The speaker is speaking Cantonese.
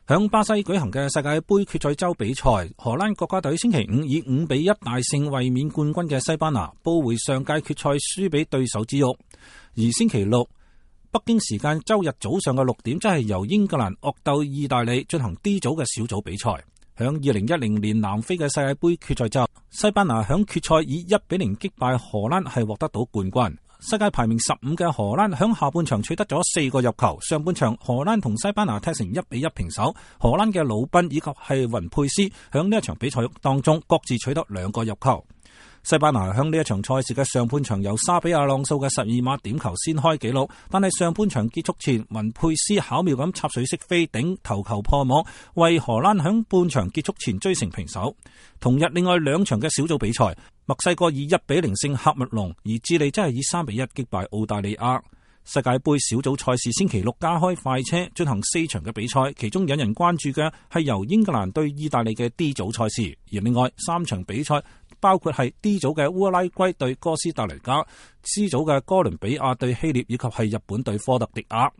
響巴西舉行嘅世界盃決賽周比賽，荷蘭國家隊星期五以5-1大勝衛冕冠軍嘅西班牙，報回上屆決賽輸俾對手之辱。而星期六北京時間周日早上嘅6點，即係由英格蘭惡鬥意大利進行 D 組嘅小組比賽。響2010年南非嘅世界盃決賽周，西班牙響決賽以1-0擊敗荷蘭，係獲得到冠軍。世界排名15嘅荷蘭響下半場取得咗4個入球，上半場荷蘭同西班牙踢成1-1平手。荷蘭嘅魯賓以及係雲佩斯響呢一場比賽當中各自取得2個入球。西班牙響呢一場賽事嘅上半場由沙比亞朗素嘅12碼點球先開紀錄，但係上半場結束前，雲佩斯巧妙咁插水式飛頂頭球破網，為荷蘭響半場結束前追成平手。同日另外2場嘅小組比賽，墨西哥以1-0勝喀麥隆，而智利真係以3-1擊敗澳大利亞。世界盃小組賽事星期六加開快車進行4場嘅比賽，其中引人關注嘅係由英格蘭對意大利嘅 D 組賽事，而另外3場比賽包括係 D 組嘅烏拉圭對哥斯達黎加、C 組嘅哥倫比亞對希臘以及係日本對科特迪瓦。